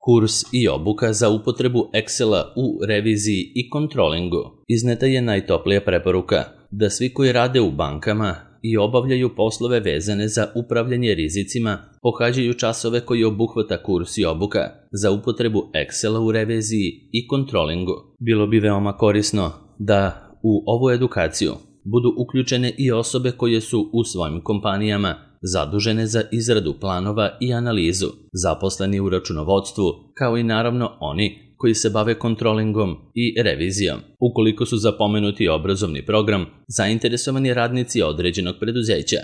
Kurs i obuka za upotrebu Excela u reviziji i kontrolingu. Izneta je najtoplija preporuka da svi koji rade u bankama i obavljaju poslove vezane za upravljanje rizicima pohađaju časove koji obuhvata kurs i obuka za upotrebu Excela u reviziji i kontrolingu. Bilo bi veoma korisno da u ovu edukaciju budu uključene i osobe koje su u svojim kompanijama zadužene za izradu planova i analizu, zaposleni u računovodstvu, kao i naravno oni koji se bave kontrolingom i revizijom. Ukoliko su za pomenuti obrazovni program zainteresovani radnici određenog preduzeća,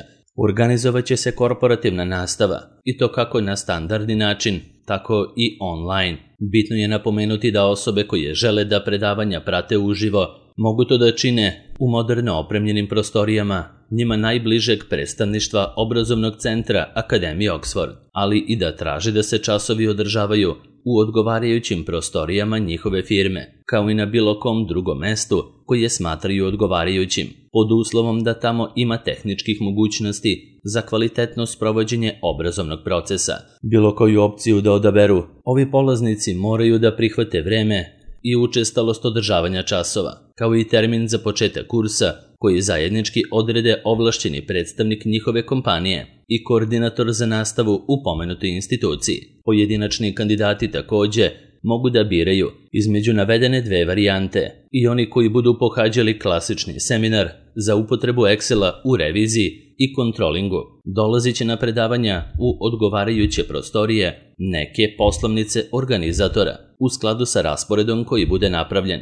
organizovat će se korporativna nastava i to kako na standardni način, tako i online. Bitno je napomenuti da osobe koje žele da predavanja prate uživo mogu to da čine u moderno opremljenim prostorijama njima najbližeg predstavništva obrazovnog centra Akademije Oxford, ali i da traže da se časovi održavaju u odgovarajućim prostorijama njihove firme, kao i na bilo kom drugom mestu koje smatraju odgovarajućim, pod uslovom da tamo ima tehničkih mogućnosti za kvalitetno sprovođenje obrazovnog procesa. Bilo koju opciju da odaberu, ovi polaznici moraju da prihvate vreme i učestalost održavanja časova, kao i termin za početak kursa koji zajednički odrede ovlašćeni predstavnik njihove kompanije i koordinator za nastavu u pomenutoj instituciji. Pojedinačni kandidati takođe mogu da biraju između navedene dve varijante i oni koji budu pohađali klasični seminar za upotrebu Excela u reviziji i kontrolingu dolazit će na predavanja u odgovarajuće prostorije neke poslovnice organizatora u skladu sa rasporedom koji bude napravljen.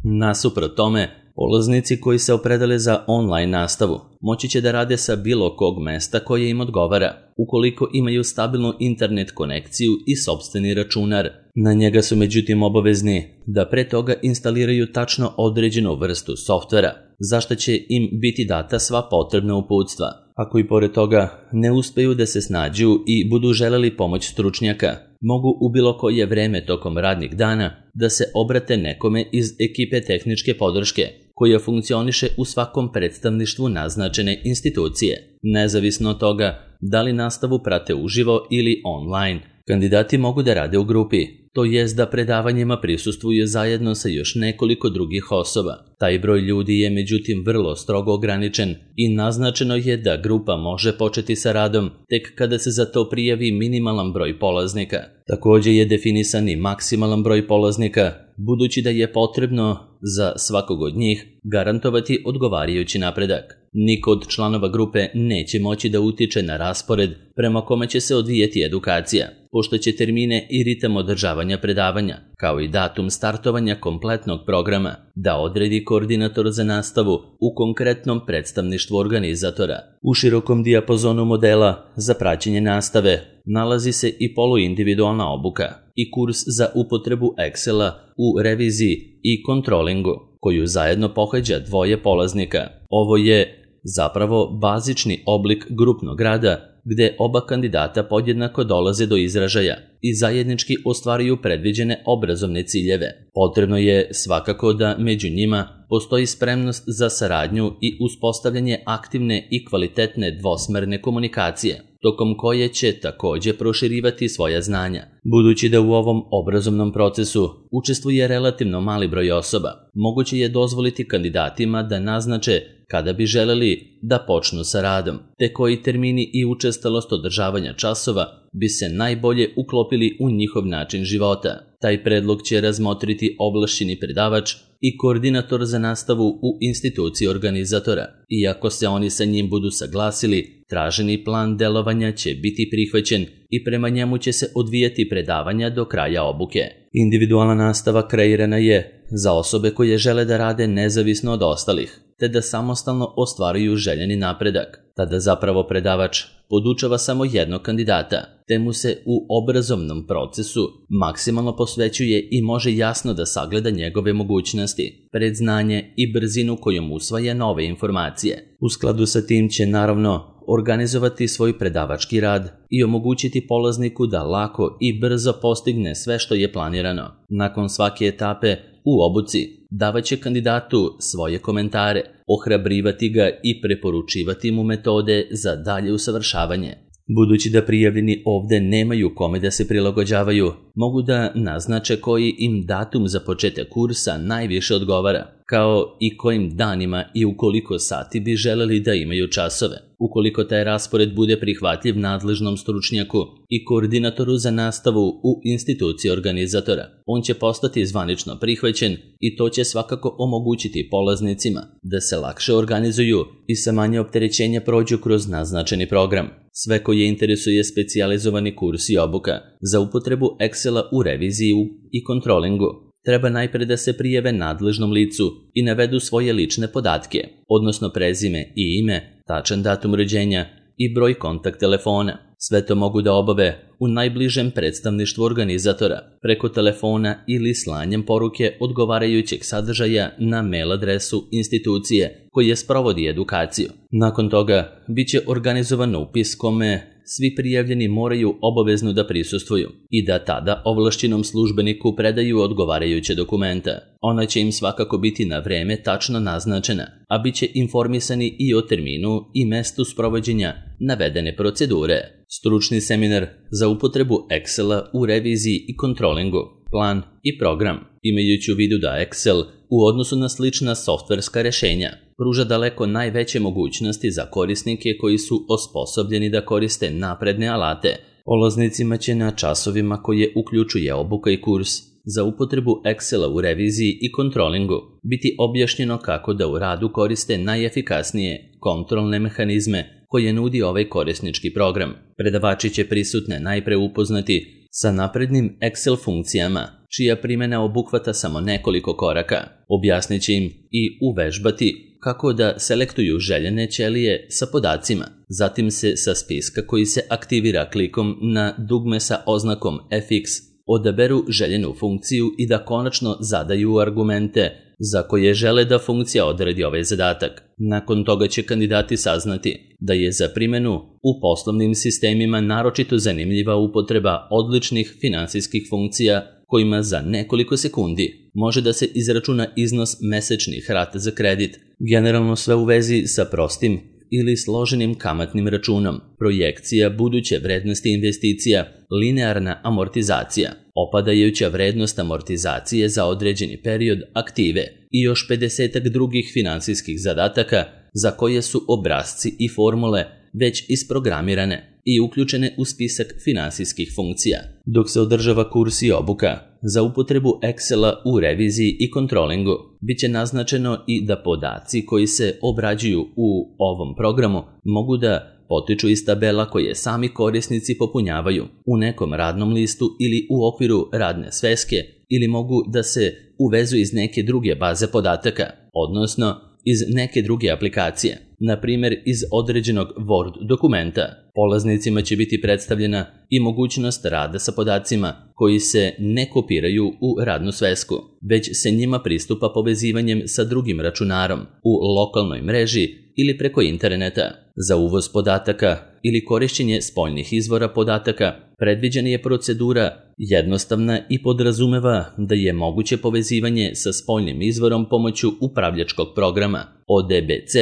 Nasuprot tome, polaznici koji se opredele za online nastavu moći će da rade sa bilo kog mesta koje im odgovara, ukoliko imaju stabilnu internet konekciju i sopstveni računar. Na njega su međutim obavezni da pre toga instaliraju tačno određenu vrstu softvera, za što će im biti data sva potrebna uputstva. Ako i pored toga ne uspeju da se snađu i budu želeli pomoć stručnjaka, mogu u bilo koje vreme tokom radnih dana da se obrate nekome iz ekipe tehničke podrške, koja funkcioniše u svakom predstavništvu naznačene institucije. Nezavisno od toga da li nastavu prate uživo ili online, kandidati mogu da rade u grupi, to jest da predavanjima prisustvuju zajedno sa još nekoliko drugih osoba. Taj broj ljudi je međutim vrlo strogo ograničen i naznačeno je da grupa može početi sa radom tek kada se za to prijavi minimalan broj polaznika. Takođe je definisan i maksimalan broj polaznika, budući da je potrebno za svakog od njih garantovati odgovarajući napredak. Niko od članova grupe neće moći da utiče na raspored prema kome će se odvijeti edukacija, pošto će termine i ritam održavanja predavanja, kao i datum startovanja kompletnog programa, da odredi koordinator za nastavu u konkretnom predstavništvu organizatora. U širokom dijapazonu modela za praćenje nastave nalazi se i poluindividualna obuka i kurs za upotrebu Excela u reviziji i kontrolingu, koju zajedno pohađa dvoje polaznika. Ovo je zapravo bazični oblik grupnog rada gde oba kandidata podjednako dolaze do izražaja i zajednički ostvaruju predviđene obrazovne ciljeve. Potrebno je svakako da među njima postoji spremnost za saradnju i uspostavljanje aktivne i kvalitetne dvosmerne komunikacije, tokom koje će takođe proširivati svoja znanja. Budući da u ovom obrazovnom procesu učestvuje relativno mali broj osoba, moguće je dozvoliti kandidatima da naznače kada bi želeli da počnu sa radom, te koji termini i učestalost održavanja časova bi se najbolje uklopili u njihov način života. Taj predlog će razmotriti ovlašćeni predavač i koordinator za nastavu u instituciji organizatora. Iako se oni sa njim budu saglasili, traženi plan delovanja će biti prihvaćen i prema njemu će se odvijati predavanja do kraja obuke. Individualna nastava kreirana je za osobe koje žele da rade nezavisno od ostalih, te da samostalno ostvaruju željeni napredak. Tada zapravo predavač podučava samo jednog kandidata, te mu se u obrazovnom procesu maksimalno posvećuje i može jasno da sagleda njegove mogućnosti, predznanje i brzinu kojom usvaja nove informacije. U skladu sa tim će naravno organizovati svoj predavački rad i omogućiti polazniku da lako i brzo postigne sve što je planirano. Nakon svake etape u obuci davaće kandidatu svoje komentare, ohrabrivati ga i preporučivati mu metode za dalje usavršavanje. Budući da prijavljeni ovde nemaju kome da se prilagođavaju, mogu da naznače koji im datum za početak kursa najviše odgovara, kao i kojim danima i u koliko sati bi želeli da imaju časove. Ukoliko taj raspored bude prihvatljiv nadležnom stručnjaku i koordinatoru za nastavu u instituciji organizatora, on će postati zvanično prihvaćen i to će svakako omogućiti polaznicima da se lakše organizuju i sa manje opterećenja prođu kroz naznačeni program. Sve koje interesuje specijalizovani kurs i obuka za upotrebu Excela u reviziji i kontrolingu, treba najpre da se prijave nadležnom licu i navedu svoje lične podatke, odnosno prezime i ime, tačan datum rođenja i broj kontakt telefona. Sve to mogu da obave u najbližem predstavništvu organizatora, preko telefona ili slanjem poruke odgovarajućeg sadržaja na mail adresu institucije koja sprovodi edukaciju. Nakon toga, bit će organizovan upis kome svi prijavljeni moraju obavezno da prisustvuju i da tada ovlašćenom službeniku predaju odgovarajuće dokumenta. Ona će im svakako biti na vreme tačno naznačena, a bit će informisani i o terminu i mestu sprovođenja navedene procedure. Stručni seminar za upotrebu Excela u reviziji i kontrolingu, plan i program, imajući u vidu da Excel u odnosu na slična softverska rešenja pruža daleko najveće mogućnosti za korisnike koji su osposobljeni da koriste napredne alate. Polaznicima će na časovima koje uključuje obuka i kurs za upotrebu Excela u reviziji i kontrolingu biti objašnjeno kako da u radu koriste najefikasnije kontrolne mehanizme koje nudi ovaj korisnički program. Predavači će prisutne najpre upoznati sa naprednim Excel funkcijama, čija primjena obuhvata samo nekoliko koraka. Objasnit će im i uvežbati kako da selektuju željene ćelije sa podacima. Zatim se sa spiska koji se aktivira klikom na dugme sa oznakom FX odaberu željenu funkciju i da konačno zadaju argumente za koje žele da funkcija odradi ovaj zadatak. Nakon toga će kandidati saznati da je za primjenu u poslovnim sistemima naročito zanimljiva upotreba odličnih finansijskih funkcija kojima za nekoliko sekundi može da se izračuna iznos mesečnih rata za kredit, generalno sve u vezi sa prostim ili složenim kamatnim računom, projekcija buduće vrednosti investicija, linearna amortizacija, opadajuća vrednost amortizacije za određeni period aktive i još 50 drugih finansijskih zadataka za koje su obrasci i formule već isprogramirane i uključene u spisak finansijskih funkcija. Dok se održava kurs i obuka za upotrebu Excela u reviziji i kontrolingu, bit će naznačeno i da podaci koji se obrađuju u ovom programu mogu da potiču iz tabela koje sami korisnici popunjavaju u nekom radnom listu ili u okviru radne sveske ili mogu da se uvezu iz neke druge baze podataka, odnosno iz neke druge aplikacije, na primjer iz određenog Word dokumenta. Polaznicima će biti predstavljena i mogućnost rada sa podacima koji se ne kopiraju u radnu svesku, već se njima pristupa povezivanjem sa drugim računarom u lokalnoj mreži ili preko interneta. Za uvoz podataka ili korišćenje spoljnih izvora podataka predviđena je procedura jednostavna i podrazumeva da je moguće povezivanje sa spoljnim izvorom pomoću upravljačkog programa ODBC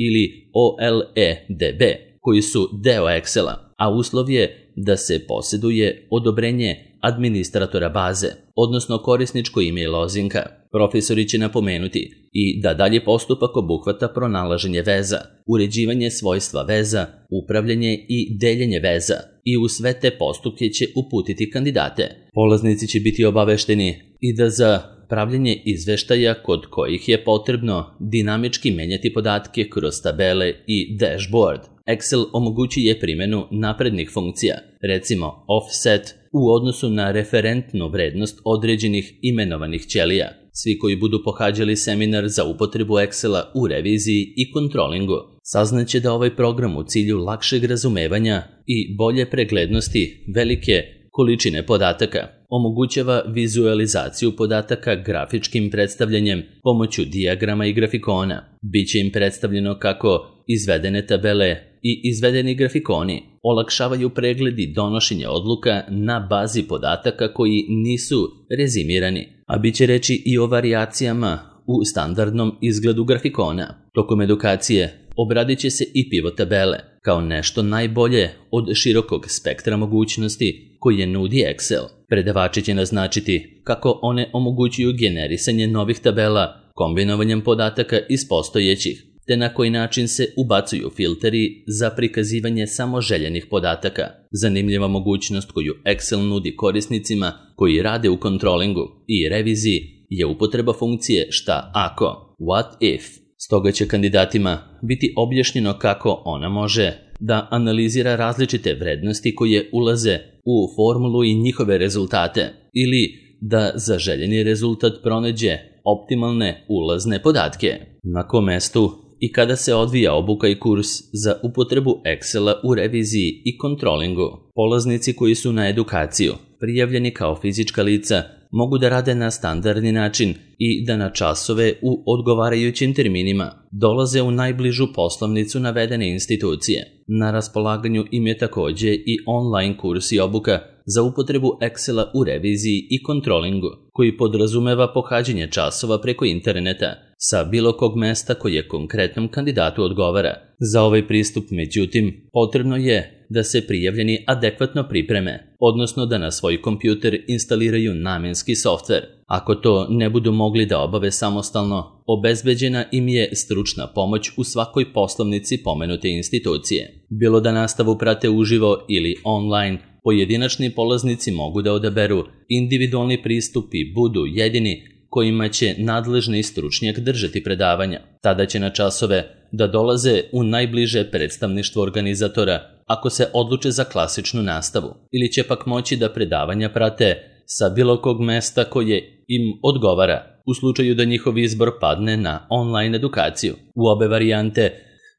ili OLEDB, koji su deo Excela, a uslov je da se posjeduje odobrenje administratora baze, odnosno korisničko ime i lozinka. Profesori će napomenuti i da dalje postupak obuhvata pronalaženje veza, uređivanje svojstva veza, upravljanje i deljenje veza i u sve te postupke će uputiti kandidate. Polaznici će biti obavešteni i da za pravljenje izveštaja kod kojih je potrebno dinamički menjati podatke kroz tabele i dashboard, Excel omogućuje primjenu naprednih funkcija, recimo offset, u odnosu na referentnu vrednost određenih imenovanih ćelija. Svi koji budu pohađali seminar za upotrebu Excela u reviziji i kontrolingu saznaće da ovaj program u cilju lakšeg razumevanja i bolje preglednosti velike količine podataka omogućava vizualizaciju podataka grafičkim predstavljanjem pomoću dijagrama i grafikona. Biće im predstavljeno kako izvedene tabele i izvedeni grafikoni olakšavaju pregled i donošenje odluka na bazi podataka koji nisu rezimirani, a bit će reći i o varijacijama u standardnom izgledu grafikona. Tokom edukacije obradit će se i pivot tabele, kao nešto najbolje od širokog spektra mogućnosti koje nudi Excel. Predavači će naznačiti kako one omogućuju generisanje novih tabela kombinovanjem podataka iz postojećih, te na koji način se ubacuju filteri za prikazivanje samo željenih podataka. Zanimljiva mogućnost koju Excel nudi korisnicima koji rade u kontrolingu i reviziji je upotreba funkcije šta ako, what if. Stoga će kandidatima biti objašnjeno kako ona može da analizira različite vrednosti koje ulaze u formulu i njihove rezultate, ili da za željeni rezultat pronađe optimalne ulazne podatke. Na kom mestu i kada se odvija obuka i kurs za upotrebu Excela u reviziji i kontrolingu. Polaznici koji su na edukaciju prijavljeni kao fizička lica mogu da rade na standardni način i da na časove u odgovarajućim terminima dolaze u najbližu poslovnicu navedene institucije. Na raspolaganju im je također i online kurs i obuka za upotrebu Excela u reviziji i kontrolingu, koji podrazumeva pohađanje časova preko interneta sa bilo kog mesta koje konkretnom kandidatu odgovara. Za ovaj pristup, međutim, potrebno je da se prijavljeni adekvatno pripreme, odnosno da na svoj kompjuter instaliraju namenski softver. Ako to ne budu mogli da obave samostalno, obezbeđena im je stručna pomoć u svakoj poslovnici pomenute institucije. Bilo da nastavu prate uživo ili online, pojedinačni polaznici mogu da odaberu individualni pristup i budu jedini kojima će nadležni stručnjak držati predavanja. Tada će na časove da dolaze u najbliže predstavništvo organizatora ako se odluče za klasičnu nastavu, ili će pak moći da predavanja prate sa bilo kog mesta koje im odgovara, u slučaju da njihov izbor padne na online edukaciju. U obe varijante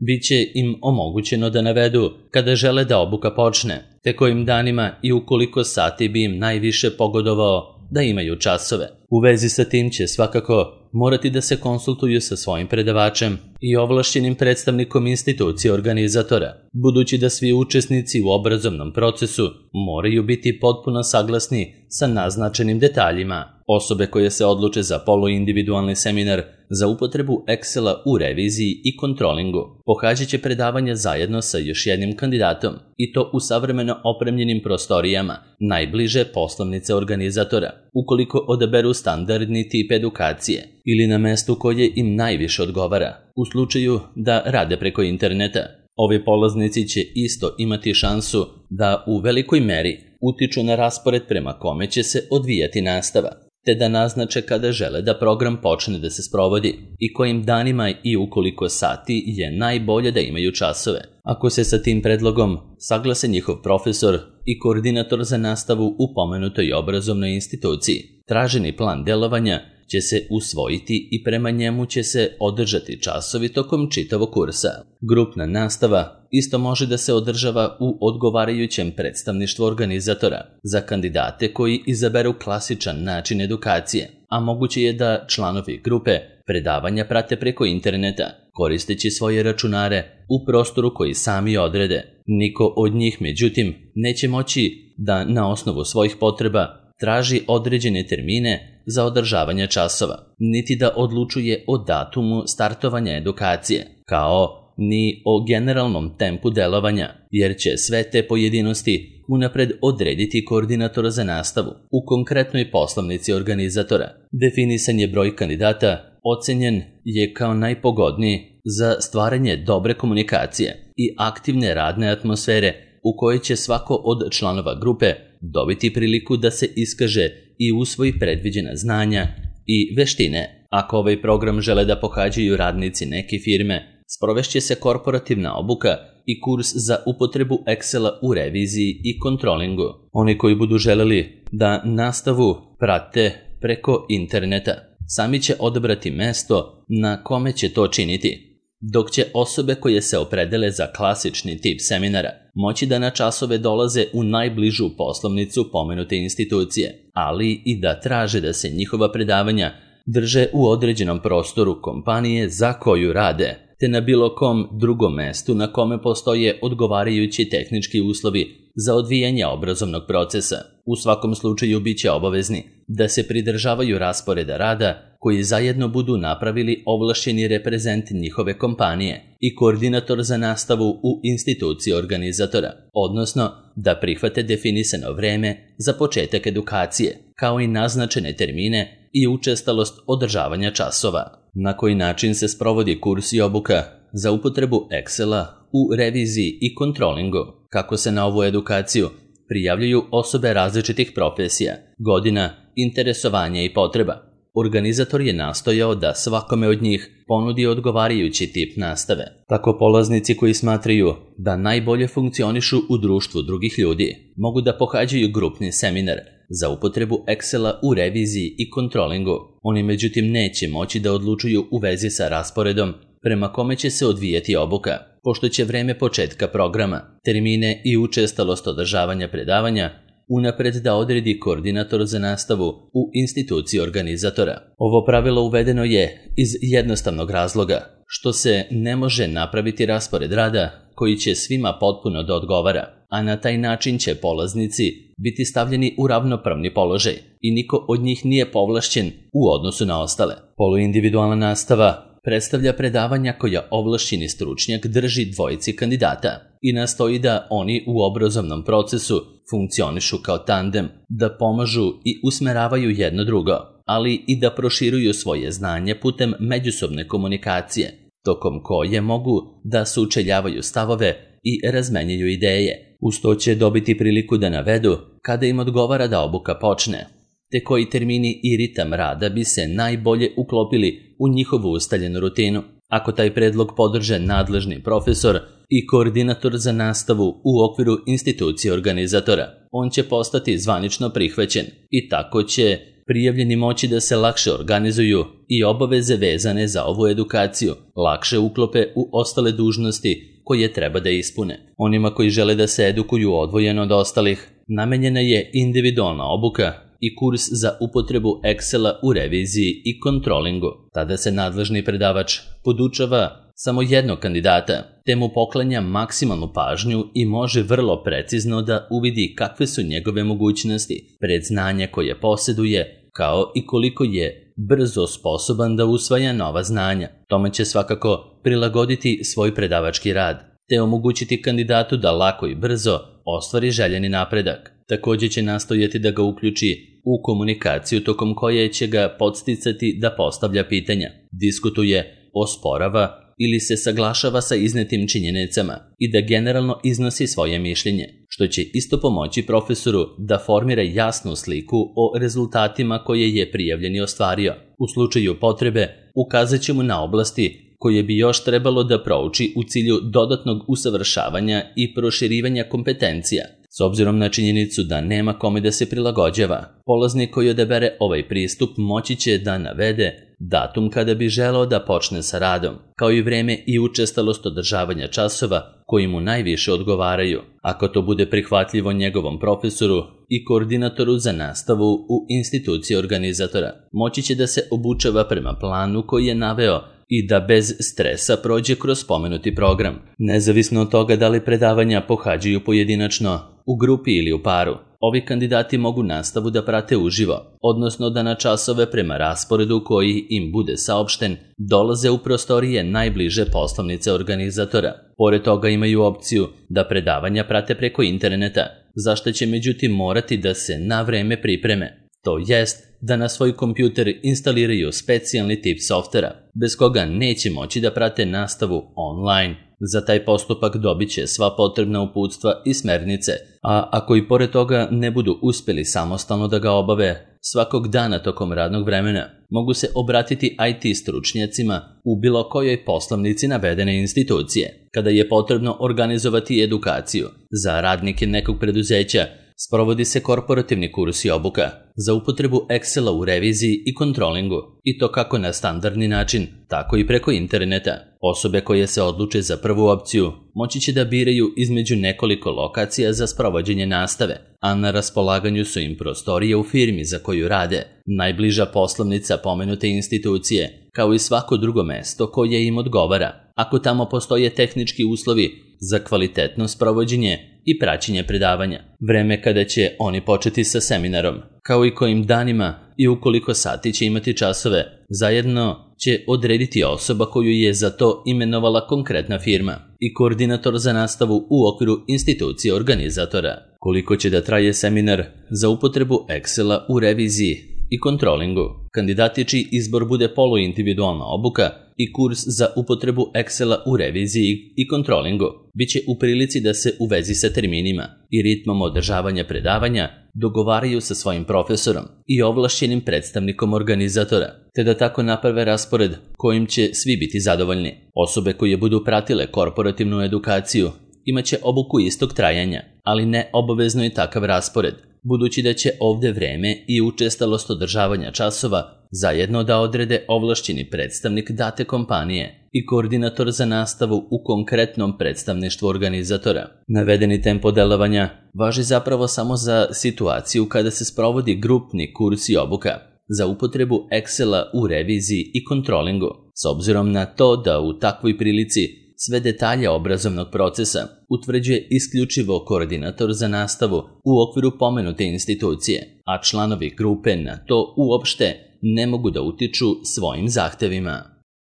bit će im omogućeno da navedu kada žele da obuka počne, te kojim danima i u koliko sati bi im najviše pogodovao da imaju časove. U vezi sa tim će svakako morati da se konsultuju sa svojim predavačem i ovlašćenim predstavnikom institucije organizatora, budući da svi učesnici u obrazovnom procesu moraju biti potpuno saglasni sa naznačenim detaljima. Osobe koje se odluče za poluindividualni seminar za upotrebu Excela u reviziji i kontrolingu pohađat će predavanja zajedno sa još jednim kandidatom, i to u savremeno opremljenim prostorijama najbliže poslovnice organizatora, ukoliko odaberu standardni tip edukacije, ili na mestu koje im najviše odgovara, u slučaju da rade preko interneta. Ovi polaznici će isto imati šansu da u velikoj meri utiču na raspored prema kome će se odvijati nastava, te da naznače kada žele da program počne da se sprovodi i kojim danima i u koliko sati je najbolje da imaju časove. Ako se sa tim predlogom saglase njihov profesor i koordinator za nastavu u pomenutoj obrazovnoj instituciji, traženi plan delovanja će se usvojiti i prema njemu će se održati časovi tokom čitavog kursa. Grupna nastava isto može da se održava u odgovarajućem predstavništvu organizatora za kandidate koji izaberu klasičan način edukacije, a moguće je da članovi grupe predavanja prate preko interneta, koristeći svoje računare u prostoru koji sami odrede. Niko od njih, međutim, neće moći da na osnovu svojih potreba traži određene termine za održavanje časova, niti da odlučuje o datumu startovanja edukacije, kao ni o generalnom tempu delovanja, jer će sve te pojedinosti unapred odrediti koordinator za nastavu u konkretnoj poslovnici organizatora. Definisan je broj kandidata, ocenjen je kao najpogodniji za stvaranje dobre komunikacije i aktivne radne atmosfere u kojoj će svako od članova grupe dobiti priliku da se iskaže i usvoji predviđena znanja i veštine. Ako ovaj program žele da pohađaju radnici neke firme, sprovešće se korporativna obuka i kurs za upotrebu Excela u reviziji i kontrolingu. Oni koji budu želeli da nastavu prate preko interneta, sami će odabrati mesto na kome će to činiti, dok će osobe koje se opredele za klasični tip seminara moći da na časove dolaze u najbližu poslovnicu pomenute institucije, ali i da traže da se njihova predavanja drže u određenom prostoru kompanije za koju rade, te na bilo kom drugom mestu na kome postoje odgovarajući tehnički uslovi za odvijanje obrazovnog procesa. U svakom slučaju bit će obavezni da se pridržavaju rasporeda rada koji zajedno budu napravili ovlašćeni reprezent njihove kompanije i koordinator za nastavu u instituciji organizatora, odnosno da prihvate definisano vreme za početak edukacije, kao i naznačene termine i učestalost održavanja časova. Na koji način se sprovodi kurs i obuka za upotrebu Excela u reviziji i kontrolingu? Kako se na ovu edukaciju prijavljuju osobe različitih profesija, godina, interesovanja i potreba? Organizator je nastojao da svakome od njih ponudi odgovarajući tip nastave. Tako polaznici koji smatraju da najbolje funkcionišu u društvu drugih ljudi mogu da pohađaju grupni seminar za upotrebu Excela u reviziji i kontrolingu. Oni međutim neće moći da odlučuju u vezi sa rasporedom prema kome će se odvijati obuka, pošto će vreme početka programa, termine i učestalost održavanja predavanja unapred da odredi koordinator za nastavu u instituciji organizatora. Ovo pravilo uvedeno je iz jednostavnog razloga, što se ne može napraviti raspored rada koji će svima potpuno da odgovara, a na taj način će polaznici biti stavljeni u ravnopravni položaj i niko od njih nije povlašćen u odnosu na ostale. Poluindividualna nastava predstavlja predavanja koja ovlašćeni stručnjak drži dvojici kandidata i nastoji da oni u obrazovnom procesu funkcionišu kao tandem, da pomažu i usmeravaju jedno drugo, ali i da proširuju svoje znanje putem međusobne komunikacije, tokom koje mogu da sučeljavaju stavove i razmenjuju ideje. Uz to će dobiti priliku da navedu kada im odgovara da obuka počne, te koji termini i ritam rada bi se najbolje uklopili u njihovu ustaljenu rutinu. Ako taj predlog podrže nadležni profesor i koordinator za nastavu u okviru institucije organizatora, on će postati zvanično prihvaćen i tako će prijavljeni moći da se lakše organizuju i obaveze vezane za ovu edukaciju lakše uklope u ostale dužnosti koje treba da ispune. Onima koji žele da se edukuju odvojeno od ostalih, namenjena je individualna obuka i kurs za upotrebu Excela u reviziji i kontrolingu. Tada se nadležni predavač podučava samo jednog kandidata, te mu poklanja maksimalnu pažnju i može vrlo precizno da uvidi kakve su njegove mogućnosti, predznanja koje posjeduje, kao i koliko je brzo sposoban da usvaja nova znanja. Tome će svakako prilagoditi svoj predavački rad, te omogućiti kandidatu da lako i brzo ostvari željeni napredak. Također će nastojati da ga uključi u komunikaciju tokom koje će ga podsticati da postavlja pitanja, diskutuje, osporava ili se saglašava sa iznetim činjenicama i da generalno iznosi svoje mišljenje, što će isto pomoći profesoru da formira jasnu sliku o rezultatima koje je prijavljeni ostvario. U slučaju potrebe ukazat će mu na oblasti koje bi još trebalo da prouči u cilju dodatnog usavršavanja i proširivanja kompetencija. S obzirom na činjenicu da nema kome da se prilagođava, polaznik koji odabere ovaj pristup moći će da navede datum kada bi želeo da počne sa radom, kao i vreme i učestalost održavanja časova koji mu najviše odgovaraju. Ako to bude prihvatljivo njegovom profesoru i koordinatoru za nastavu u instituciji organizatora, moći će da se obučava prema planu koji je naveo i da bez stresa prođe kroz spomenuti program, nezavisno od toga da li predavanja pohađaju pojedinačno, u grupi ili u paru. Ovi kandidati mogu nastavu da prate uživo, odnosno da na časove prema rasporedu koji im bude saopšten dolaze u prostorije najbliže poslovnice organizatora. Pored toga imaju opciju da predavanja prate preko interneta, za što će međutim morati da se na vreme pripreme. To jest da na svoj kompjuter instaliraju specijalni tip softvera, bez koga neće moći da prate nastavu online. Za taj postupak dobit će sva potrebna uputstva i smernice, a ako i pored toga ne budu uspjeli samostalno da ga obave, svakog dana tokom radnog vremena mogu se obratiti IT stručnjacima u bilo kojoj poslovnici navedene institucije. Kada je potrebno organizovati edukaciju za radnike nekog preduzeća, sprovodi se korporativni kurs i obuka za upotrebu Excela u reviziji i kontrolingu, i to kako na standardni način, tako i preko interneta. Osobe koje se odluče za prvu opciju moći će da biraju između nekoliko lokacija za sprovođenje nastave, a na raspolaganju su im prostorije u firmi za koju rade, najbliža poslovnica pomenute institucije, kao i svako drugo mesto koje im odgovara. Ako tamo postoje tehnički uslovi za kvalitetno sprovođenje i praćenje predavanja, vreme kada će oni početi sa seminarom, kao i kojim danima i u koliko sati će imati časove, zajedno će odrediti osoba koju je za to imenovala konkretna firma i koordinator za nastavu u okviru institucije organizatora. Koliko će da traje seminar za upotrebu Excela u reviziji i kontrolingu. Kandidati čiji izbor bude poluindividualna obuka i kurs za upotrebu Excela u reviziji i kontrolingu biće u prilici da se u vezi sa terminima i ritmom održavanja predavanja dogovaraju sa svojim profesorom i ovlašćenim predstavnikom organizatora, te da tako naprave raspored kojim će svi biti zadovoljni. Osobe koje budu pratile korporativnu edukaciju imaće obuku istog trajanja, ali ne obavezno je takav raspored, budući da će ovde vreme i učestalost održavanja časova zajedno da odrede ovlašćeni predstavnik date kompanije i koordinator za nastavu u konkretnom predstavništvu organizatora. Navedeni tempo delovanja važi zapravo samo za situaciju kada se sprovodi grupni kurs i obuka za upotrebu Excela u reviziji i kontrolingu, s obzirom na to da u takvoj prilici sve detalje obrazovnog procesa utvrđuje isključivo koordinator za nastavu u okviru pomenute institucije, a članovi grupe na to uopšte ne mogu da utiču svojim zahtevima.